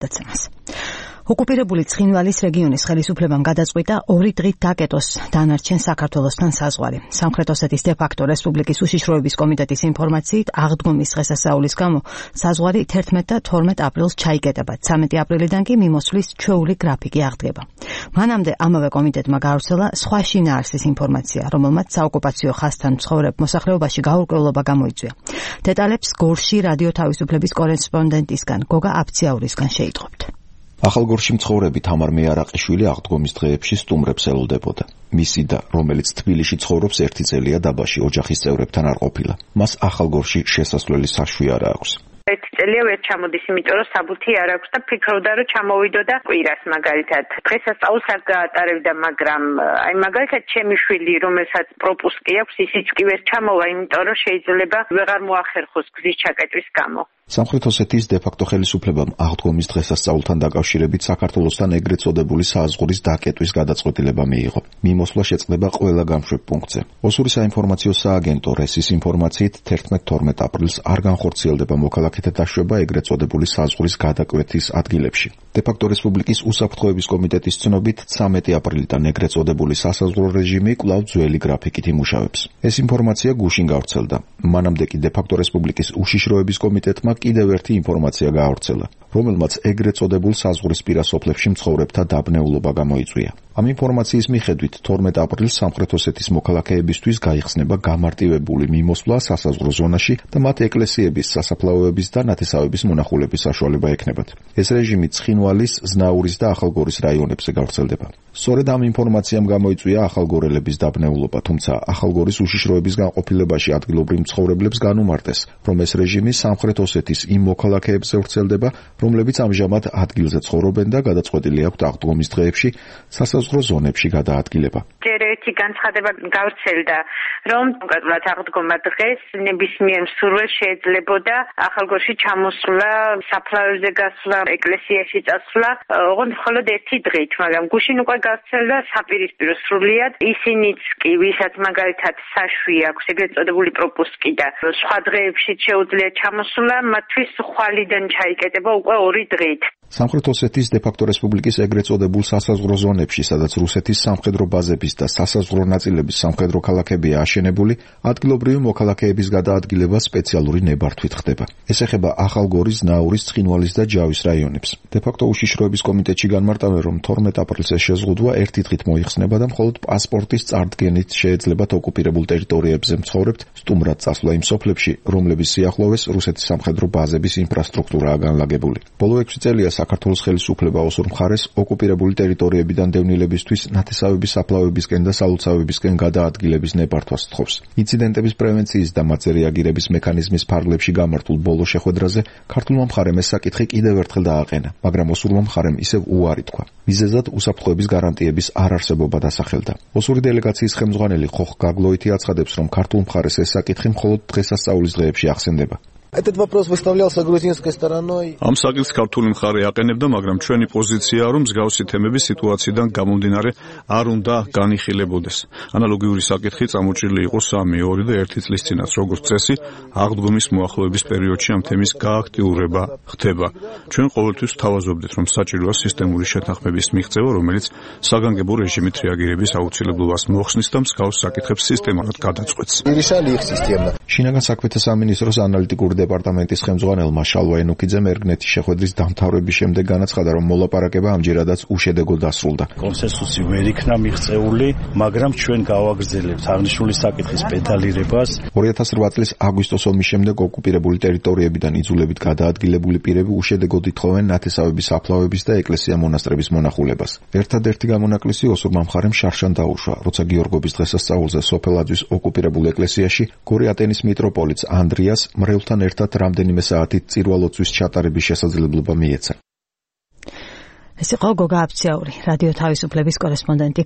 დაცემას. ოკუპირებული ცხინვალის რეგიონის ხელისუფლებამ გადაწყვიტა 2 დღით დაკეტოს დანარჩენ საქართველოსთან საზღვარი. სამხრეთ ოსეთის დე-ფაქტო რესპუბლიკის უშიშროების კომიტეტის ინფორმაციით, აღდგომის დღესასწაულის გამო საზღვარი 11 და 12 აპრილს ჩაიკეტება. 13 აპრილიდან კი მიმოსვლის ჩვეული გრაფიკი აღდგება. მანამდე ამავე კომიტეტმა გაავრცელა სხვა შინაარსის ინფორმაცია, რომელმაც საოკუპაციო ხაზთან მცხოვრებ მოსახლეობაში გაურკვევლობა გამოიწვია. დეტალებს გორში რადიო თავისუფლების კორესპონდენტისგან გოგა აფციაურისგან შეიტყობთ. ახალგორში მცხოვრები თამარ მეარაყიშვილი აღდგომის დღეებში სტუმრებს ელოდებოდა. მისი და, რომელიც თბილისში ცხოვრობს 1 წელია დაბაში ოჯახის წევრებთან არ ყოფილა. მას ახალგორში შესასვლელი საშვი არ აქვს. 1 წელია ვერ ჩამოდის, იმიტომ რომ საბუთი არ აქვს და ფიქრობდა რომ ჩამოვიდო და კვირას მაგალითად. დღესასწაულს არ გაატარებდა, მაგრამ აი მაგალითად ჩემი შვილი, რომელსაც პროპუსკი აქვს, ისიც კი ვერ ჩამოვა, იმიტომ რომ შეიძლება ვეღარ მოახერხოს გზის ჩაკეტვის გამო. სამხრეთ ოსეთის დე-ფაქტო ხელისუფლებამ აღდგომის დღესასწაულთან დაკავშირებით საქართველოსთან ეგრეთ წოდებული საზღვრის დაკეტვის გადაწყვეტილება მიიღო. მიმოსვლა შეწყდება ყველა გამშვებ პუნქტზე. ოსური საინფორმაციო სააგენტო რესის ინფორმაციით 11-12 აპრილს არ განხორციელდება მოქალაქეთა დაშვება ეგრეთ წოდებული საზღვრის გადაკვეთის ადგილებში. დე-ფაქტო რესპუბლიკის უსაფრთხოების კომიტეტის ცნობით 13 აპრილიდან ეგრეთ წოდებული სასაზღვრო რეჟიმი კვლავ ძველი გრაფიკით იმუშავებს. ეს ინფორმაცია გუშინ გავრცელდა. მანამდე კი დე-ფაქტო რესპუბლიკის უშიშროების კომიტეტმა კიდევ ერთი ინფორმაცია გაავრცელა, რომელმაც ეგრეთ წოდებულ საზღვრისპირა სოფლებში მცხოვრებთა დაბნეულობა გამოიწვია. ამ ინფორმაციის მიხედვით 12 აპრილს სამხრეთ ოსეთის მოქალაქეებისთვის გაიხსნება გამარტივებული მიმოსვლა სასაზღვრო ზონაში და მათ ეკლესიების, სასაფლაოების და ნათესავების მონახულების საშუალება ექნებათ. ეს რეჟიმი ცხინვალის, ზნაურის და ახალგორის რაიონებზე გავრცელდება. სწორედ ამ ინფორმაციამ გამოიწვია ახალგორელების დაბნეულობა, თუმცა ახალგორის უშიშროების განყოფილებაში ადგილობრივ მცხოვრებლებს განუმარტეს, რომ ეს რეჟიმი სამხრეთ ოსეთის იმ მოქალაქეებზე ვრცელდება, რომლებიც ამჟამად ადგილზე ცხოვრობენ და გადაწყვეტილი აქვთ აღდგომის დღეებში სასაზღვრო ზონებში გადაადგილება. ჯერ ერთი განცხადება გავრცელდა, რომ კონკრეტულად აღდგომა დღეს ნებისმიერ მსურველს შეეძლებოდა ახალგორში ჩამოსვლა, საფლავებზე გასვლა, ეკლესიაში წასვლა, ოღონდ მხოლოდ 1 დღით, მაგრამ გუშინ უკვე გავრცელდა საპირისპირო სრულიად ისინიც კი, ვისაც მაგალითად საშვი აქვს, ეგრეთ წოდებული პროპუსკი და სხვა დღეებში შეუძლიათ ჩამოსვლა, მათთვის ხვალიდან ჩაიკეტება უკვე 2 დღით. სამხრეთ ოსეთის დე-ფაქტო რესპუბლიკის ეგრეთ წოდებულ სასაზღვრო ზონებში, სადაც რუსეთის სამხედრო ბაზების და სასაზღვრო ნაწილების სამხედრო ქალაქებია აშენებული, ადგილობრივი მოქალაქეების გადაადგილება სპეციალური ნებართვით ხდება. ეს ეხება ახალგორის, ზნაურის, ცხინვალის და ჯავის რაიონებს. დე-ფაქტო უშიშროების კომიტეტში განმარტავენ, რომ 12 აპრილს ეს შეზღუდვა 1 დღით მოიხსნება და მხოლოდ პასპორტის წარდგენით შეეძლებათ ოკუპირებულ ტერიტორიებზე მცხოვრებთ სტუმრად წასვლა იმ სოფლებში, რომლების სიახლოვეს რუსეთის სამხედრო ბაზების ინფრასტრუქტურაა განლაგებული. ბოლო 6 წელია საქართველოს ხელისუფლება ოსურ მხარეს ოკუპირებული ტერიტორიებიდან დევნილებისთვის ნათესავების საფლავებისკენ და სალოცავებისკენ გადაადგილების ნებართვას სთხოვს. ინციდენტების პრევენციის და მათზე რეაგირების მექანიზმის ფარგლებში გამართულ ბოლო შეხვედრაზე ქართულმა მხარემ ეს საკითხი კიდევ ერთხელ დააყენა, მაგრამ ოსურმა მხარემ ისევ უარი თქვა. მიზეზად უსაფრთხოების გარანტიების არარსებობა დასახელდა. ოსური დელეგაციის ხელმძღვანელი ხოხ გაგლოითი აცხადებს, რომ ქართულ მხარეს ეს საკითხი მხოლოდ დღესასწაულის დღეებში ახსენდება. Этот вопрос выставлялся грузинской стороной. Ამ საკითხს ქართული მხარე აყენებდა, მაგრამ ჩვენი პოზიციაა, რომ მსგავსი თემები სიტუაციიდან გამომდინარე არ უნდა განიხილებოდეს. ანალოგიური საკითხი წამოჭრილი იყო 3, 2 და 1 წლის წინაც, როგორც წესი, აღდგომის მოახლოების პერიოდში ამ თემის გააქტიურება ხდება. ჩვენ ყოველთვის ვთავაზობდით, რომ საჭიროა სისტემური შეთანხმების მიღწევა, რომელიც საგანგებო რეჟიმით რეაგირების აუცილებლობას მოხსნის და მსგავს საკითხებს სისტემატურად გადაწყვეტს. შინაგან საქმეთა სამინისტროს ანალიტიკური დეპარტამენტის ხელმძღვანელმა შალვა ენუქიძემ ერგნეთის შეხვედრის დამთავრების შემდეგ განაცხადა, რომ მოლაპარაკება ამჯერადაც უშედეგო დასრულდა. კონსენსუსი ვერ იქნა მიღწეული, მაგრამ ჩვენ გავაგრძელებთ აღნიშნული საკითხის პედალირებას. 2008 წლის აგვისტოს ომის შემდეგ ოკუპირებული ტერიტორიებიდან იძულებით გადაადგილებული პირები უშედეგოდ ითხოვენ ნათესავების საფლავების და ეკლესია-მონასტრების მონახულებას. ერთადერთი გამონაკლისი ოსურმა მხარემ შარშან დაუშვა, როცა გიორგობის დღესასწაულზე სოფელაძის ოკუპირებულ ეკლესიაში გორი ატენის მიტროპოლიტს ანდრიას მრევლთან ერთად რამდენიმე საათით წირვალოცვის ჩატარების შესაძლებლობა მიეცა. ეს იყო გოგა აფციაური, რადიო თავისუფლების კორესპონდენტი.